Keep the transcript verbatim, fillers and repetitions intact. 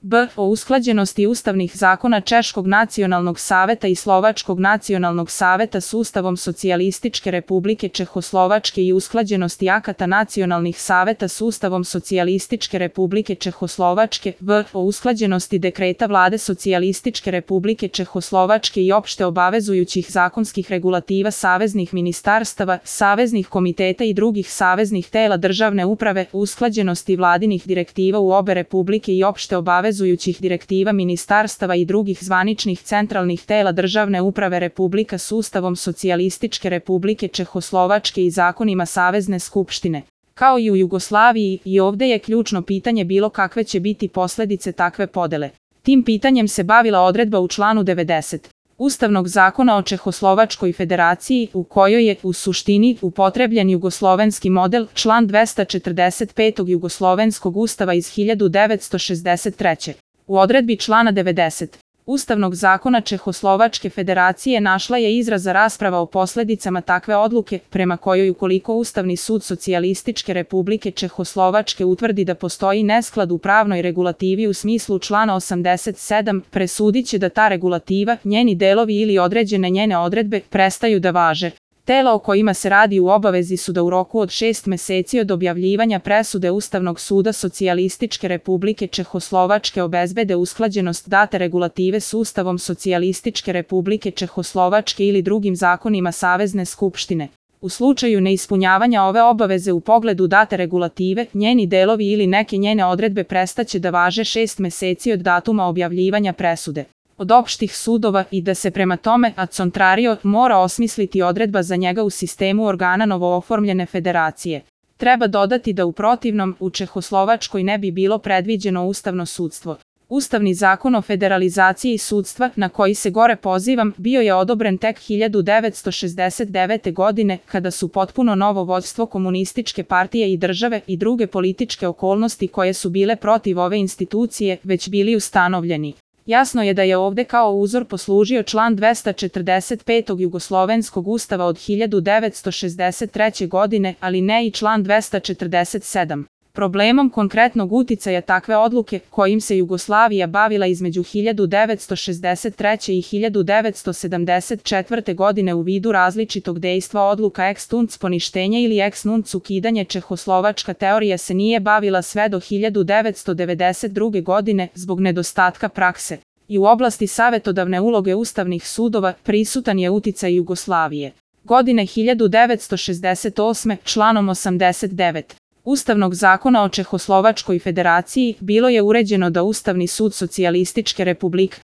b. O usklađenosti ustavnih zakona Češkog nacionalnog saveta i Slovačkog nacionalnog saveta s Ustavom Socijalističke Republike Čehoslovačke i usklađenosti akata nacionalnih saveta s Ustavom Socijalističke Republike Čehoslovačke, v. O usklađenosti dekreta Vlade Socijalističke Republike Čehoslovačke i opšte obavezujućih zakonskih regulativa saveznih ministarstava, saveznih komiteta i drugih saveznih tela državne uprave, usklađenosti vladinih direktiva u obe republike i opšte obavezujućih direktiva ministarstava i drugih zvaničnih centralnih tela državne uprave Republika s Ustavom Socijalističke Republike Čehoslovačke i zakonima Savezne skupštine. Kao i u Jugoslaviji, i ovde je ključno pitanje bilo kakve će biti posledice takve podele. Tim pitanjem se bavila odredba u članu devedeset. Ustavnog zakona o Čehoslovačkoj federaciji, u kojoj je, u suštini, upotrebljen jugoslovenski model, član dvesta četrdeset pet Jugoslovenskog ustava iz hiljadu devetsto šezdeset treće. U odredbi člana devedeset. Ustavnog zakona Čehoslovačke federacije našla je izraza rasprava o posledicama takve odluke, prema kojoj ukoliko Ustavni sud Socijalističke Republike Čehoslovačke utvrdi da postoji nesklad u pravnoj regulativi u smislu člana osamdeset sedam, presudiće da ta regulativa, njeni delovi ili određene njene odredbe, prestaju da važe. Tela o kojima se radi u obavezi su da u roku od šest meseci od objavljivanja presude Ustavnog suda Socijalističke Republike Čehoslovačke obezbede usklađenost date regulative s Ustavom Socijalističke Republike Čehoslovačke ili drugim zakonima Savezne skupštine. U slučaju neispunjavanja ove obaveze u pogledu date regulative, njeni delovi ili neke njene odredbe prestaće da važe šest meseci od datuma objavljivanja presude od opštih sudova i da se prema tome, ad contrario, mora osmisliti odredba za njega u sistemu organa novooformljene federacije. Treba dodati da u protivnom, u Čehoslovačkoj ne bi bilo predviđeno ustavno sudstvo. Ustavni zakon o federalizaciji sudstva, na koji se gore pozivam, bio je odobren tek hiljadu devetsto šezdeset devete. godine, kada su potpuno novo vođstvo komunističke partije i države i druge političke okolnosti koje su bile protiv ove institucije, već bili ustanovljeni. Jasno je da je ovde kao uzor poslužio član dvesta četrdeset pet Jugoslovenskog ustava od hiljadu devetsto šezdeset treće. godine, ali ne i član dvesta četrdeset sedam. Problemom konkretnog uticaja takve odluke, kojim se Jugoslavija bavila između hiljadu devetsto šezdeset treće. i hiljadu devetsto sedamdeset četvrte. godine u vidu različitog dejstva odluka ex tunc poništenje ili ex nunc ukidanje Čehoslovačka teorija se nije bavila sve do hiljadu devetsto devedeset druge. godine zbog nedostatka prakse. I u oblasti savetodavne uloge ustavnih sudova prisutan je uticaj Jugoslavije. Godine hiljadu devetsto šezdeset osme. članom osamdeset devet. Ustavnog zakona o Čehoslovačkoj federaciji bilo je uređeno da Ustavni sud Socijalističke Republike